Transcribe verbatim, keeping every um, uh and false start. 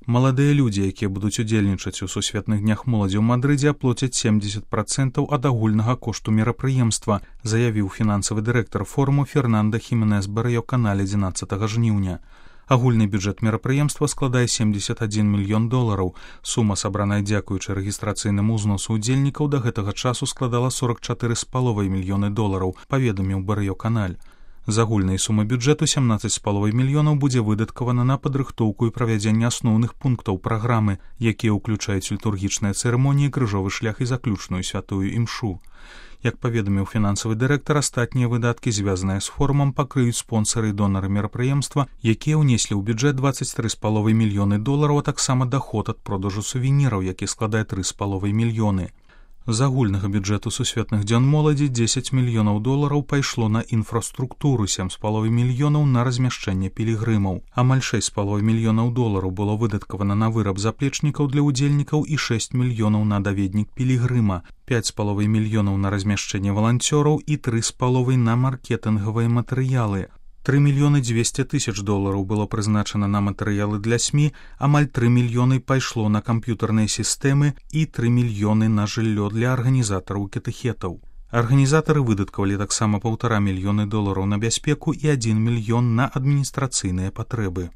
Маладыя людзі, якія будуць удзельнічаць у сусветных днях моладзі ў Мадрыдзе, аплоцяць семьдесят процентаў ад агульнага кошту мерапрыемства, заявіў фінансавы дырэктар форуму Фернандо Хіменес Барrio-Каналь адзінаццатага жніўня. Агульны бюджэт мерапрыемства складае семьдесят адзін мільён долараў. Сума, сабраная дзякуючы рэгістрацыйнаму ўзносу удзельнікаў, да гэтага часу складала сорок чатыры з паловай мільёны долараў, паведаміў Барrio-Каналь. З агульнай сумы бюджэту сямнаццаць з паловай мільёнаў будзе выдаткавана на падрыхтоўку і правядзенне асноўных пунктаў праграмы, якія ўключаюць літургічныя цырымоніі, крыжовы шлях і заключную святую імшу. Як паведаміў фінансавы дырэктар, астатнія выдаткі, звязаныя з форумам, пакрыюць спонсары і донары мерапрыемства, якія ўнеслі ў бюджэт дваццаць тры з паловай мільёны долараў, а таксама даход ад продажу сувеніраў, які складае тры з паловай мільёны. З агульнага бюджэту сусветных дзён моладзі дзесяць мільёнаў долараў пайшло на інфраструктуру, сем з паловай мільёнаў на размяшчэнне пілігрымаў. Амаль шэсць з паловай мільёнаў долараў было выдаткавана на выраб заплечнікаў для ўдзельнікаў і шэсць мільёнаў на даведнік пілігрыма, пяць з паловай мільёнаў на размяшчэнне валанцёраў і тры з паловай на маркетынгавыя матэрыялы. тры мільёны дзвесце тысяч долараў было прызначана на матэрыялы для СМІ, амаль тры мільёны пайшло на камп'ютарныя сістэмы і тры мільёны на жыллё для арганізатараў катэхетаў. Арганізатары выдаткавалі таксама паўтара мільёны долараў на бяспеку і адзін мільён на адміністрацыйныя патрэбы.